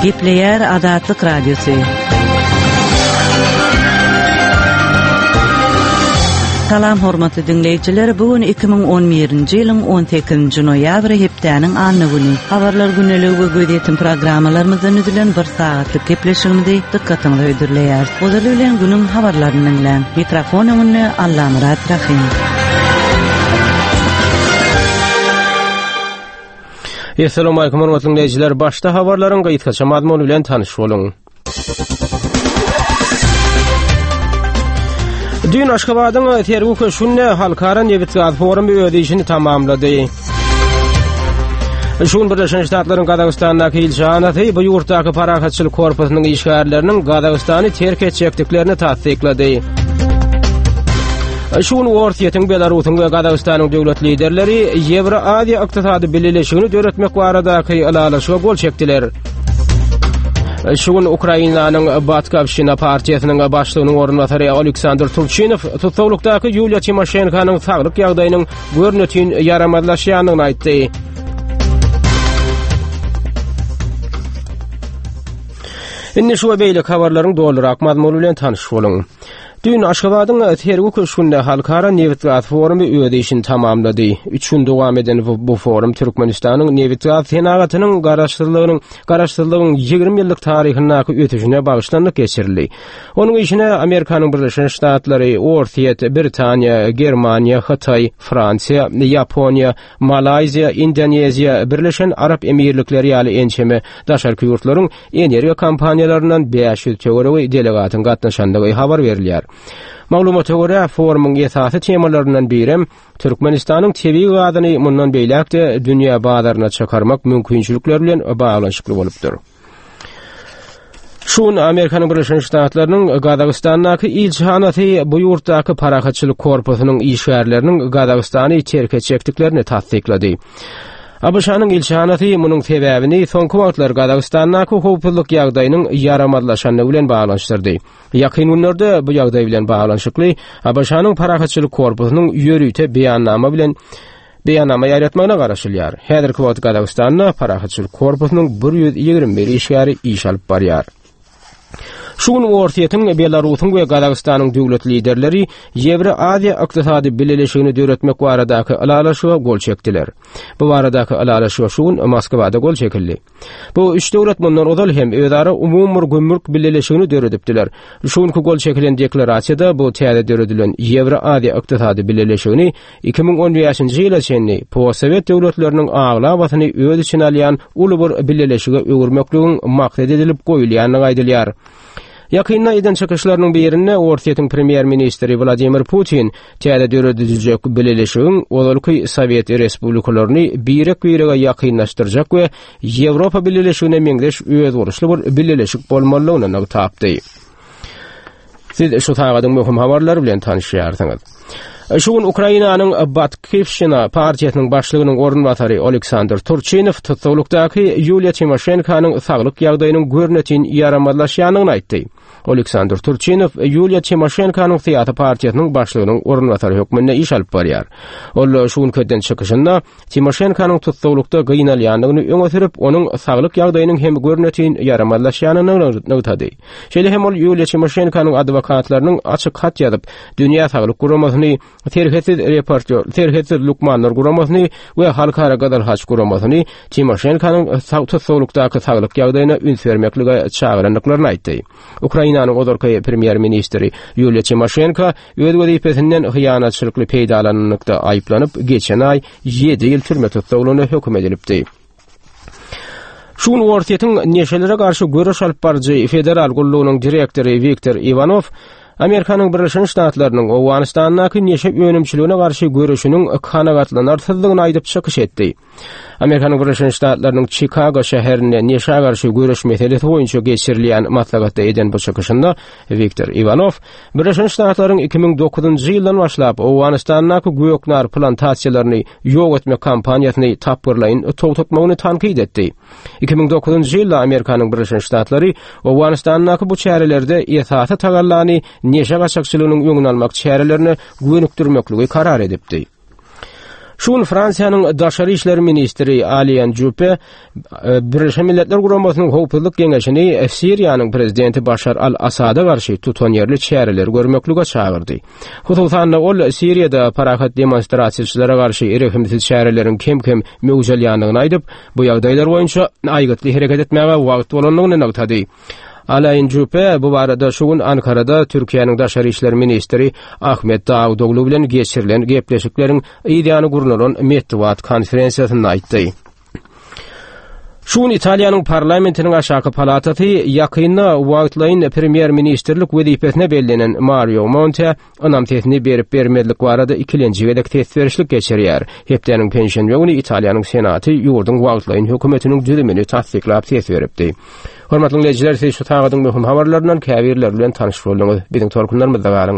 Gepleýär Azatlyk Radiosy. Salam hormatly diňleýjiler, bu gün 2011-nji ýylyň 18-nji noýabry hepdäniň anna güni. Habarlar gündeligi we gözýetim programmalarymyzdan düzülen bir sagatlyk gepleşigimizi dykgatyňyza hödürleýäris. Ozaly bilen günüň habarlaryny diňläň. Mikrofon öňünde Allamyrat Rahym. Essalamu hormatly dinleýjiler. Başda habarlaryň gysgaça mazmuny bilen tanyş boluň. Düýn Aşgabadyň Sergi köşgünde Halkara nebitgaz forumy öz işini tamamlady. Şu gün Birleşen Ştatlaryň Gazagystandaky ilçihanasy bu ýurtdaky parahatçylyk korpusynyň işgärleriniň Gazagystany terk etjekdiklerini tassyklady. Şu gün Orsýetiň, Belarusyň we Gazagystanyň döwlet liderleri Ýewroaziýa ykdysady bileleşigini döretmek baradaky ylalaşyga gol çekdiler. Şu gün Ukrainanyň Batkowşina partiýasynyň başlygynyň orunbasary Aleksandr Turçinow tussaglykdaky Ýuliýa Timoşenkonyň saglyk ýagdaýynyň görnetin ýaramazlaşýandygyny aýtdy. Indi şu we beýleki habarlaryň dolurak mazmuny bilen tanyş boluň. Düýn Aşgabadyň Sergi köşgünde Halkara nebitgaz forumy öz işini tamamlady. Üç gün dowam eden bu forum Türkmenistanyň nebitgaz senagatynyň garaşsyzlygynyň garaşsyzlygyň 20 ýyllyk taryhyndaky ösüşine bagyşlanyp geçirildi. Onuň işine Amerikanyň Birleşen Ştatlary, Orsýet, Britaniýa, Germaniýa, Hytaý, Fransiýa, Ýaponiýa, Malaýziýa, Indoneziýa, Birleşen Arap Emirlikleri ýaly ençeme daşarky ýurtlaryň energiýa kompaniýalaryndan 500 töweregi delegatyň gatnaşandygy habar berilýär. Maglumata görä, forumyň esasy temalaryndan birem Türkmenistanyň tebigy gazyny mundan beýläk-de dünýä bazaryna çykarmak mümkinçilikleri bilen baglanyşykly bolupdyr. Şu gün Amerikanyň Birleşen Ştatlarynyň Gazagystandaky ilçihanasy bu ýurtdaky parahatçylyk korpusynyň işgärleriniň Gazagystany terk etjekdiklerini tassyklady. ABŞ-nyň ilçihanasy munuň sebäbini soňky wagtlar Gazagystandaky howpsuzlyk ýagdaýynyň ýaramazlaşandygy bilen baglanyşdyrdy. Ýakyn günlerde bu ýagdaý bilen baglanyşykly ABŞ-nyň parahatçylyk korpusynyň ýörite beýannama bilen beýannama ýaýratmagyna garaşylýar. Häzirki wagt Gazagystanda parahatçylyk korpusynyň 121 işgäri iş alyp barýar. Şu gün Orsýetiň, Belarusyň we Gazagystanyň döwlet liderleri Ýewroaziýa ykdysady bileleşigini döretmek baradaky ylalaşyga gol çekdiler. Bu baradaky ylalaşyga şu gün Moskwada gol çekildi. Bu üç döwlet mundan ozal hem özara umumy bir gümrük bileleşigini döredipdiler. Şu günki gol çekilen deklarasiýada bu täze döredilen Ýewroaziýa ykdysady bileleşigini 2015-nji ýyla çenli postsowet döwletleriniň aglabasyny öz içine alýan uly bir bileleşige öwürmekligiň maksat edilip goýulýandygy aýdylýar. Ýakynda eden çykyşlarynyň birinde Orsýetiň premýer-ministri Wladimir Putin täze dörediljek bileleşigiň ozalky sowet respublikalaryny birek-birege ýakynlaşdyrjak we Ýewropa Bileleşigine meňzeş özboluşly bir bileleşik bolmalydygyny nygtapdy. Siz şu sagadyň möhüm habarlary bilen tanyşýarsyňyz. Şu gün Ukrainanyň Batkivşina partiýasynyň başlygynyň orunbasary Oleksandr Turçinow tussaglykdaky Ýuliýa Timoşenkonyň saglyk ýagdaýynyň görnetin ýaramazlaşýandygyny aýtdy. Oleksandr Turçinow Ýuliýa Timoşenkonyň syýasy partiýasynyň başlygynyň orunbasary hökmünde iş alyp barýar. Ol şu günki eden çykyşynda Timoşenkonyň tussaglykda gynalýandygyny öňe sürüp, onuň saglyk ýagdaýynyň hem görnetin ýaramazlaşýanyny nygtady. Şeýle hem ol Ýuliýa Timoşenkonyň adwokatlarynyň açyk hat ýazyp, Dünýä saglyk guramasyny, Serhetsiz reportýor, Serhetsiz lukmanlar guramasyny we Halkara Gyzyl Haç guramasyny Timoşenkonyň tussaglykdaky saglyk ýagdaýyna üns bermeklige çagyrandyklaryny aýtdy. Ukrainanyň ozalky premýer-ministri Ýuliýa Timoşenko öz wezipesinden hyýanatçylykly peýdalananlykda aýyplanyp, geçen aý ýedi ýyl türme tussaglygyna höküm edilipdi. Şu gün Orsýetiň neşelere garşy göreş alyp baryjy federal gullugynyň direktory Wiktor Iwanow Amerikanyň Birleşen Ştatlarynyň Owganystandaky neşe önümçiligine garşy göreşiniň kanagatlanarsyzdygyny aýdyp çykyş etdi. Amerikanyň Birleşen Ştatlarynyň Çikago şäherinde neşä garşy göreş meselesi boýunça geçirilýän maslahatda eden bu çykyşynda Wiktor Iwanow Birleşen Ştatlaryň 2009-njy ýyldan başlap Owganystandaky göknar plantasiýalaryny ýok etmek kampaniýasyny tapgyrlaýyn togtatmagyny tankyt etdi. 2009-njy ýylda Amerikanyň Birleşen Ştatlary Owganystandaky bu çärelerde esasy tagallany neşe gaçakçylygynyň öňüni almak çärelerine gönükdirmekligi karar edipdi. Şu gün Fransiýanyň daşary işler ministri Alian Juppe e, Birleşen Milletler Guramasynyň Howpsuzlyk Geňeşini Siriýanyň prezidenti Başar al-Asada garşy tutanýerli çäreleri görmeklige çagyrdy. Hususan-da, ol Siriýada parahat demonstrasiýaçylara garşy rehimsiz çäreleriň kem-kem möwç alýandygyny aýdyp, bu ýagdaýlar boýunça aýgytly hereket etmäge wagt bolandygyny nygtady. Alain Juppe bu barada şu gün Ankarada Türkiýäniň daşary işler ministri Ahmet Dawutoglu bilen geçirilen gepleşikleriň yzýany gurnalan metbugat konferensiýasynda aýtdy. Şu gün Italiýanyň parlamentiniň aşaky palatasy ýakynda wagtlaýyn premýer-ministrlik wezipesine bellenen Mario Monte ynam sesini berip-bermezlik barada ikilenji gezek ses berişlik geçirýär. Hepdäniň penşenbe güni Italiýanyň Senaty ýurduň wagtlaýyn hökümetiniň düzümini tassyklap ses beripdi. Hormatly diňleýjiler, siz şu sagadyň möhüm habarlaryndan käbirleri bilen tanyş bolduňyz. Biziň tolkunlarymyzda galyň.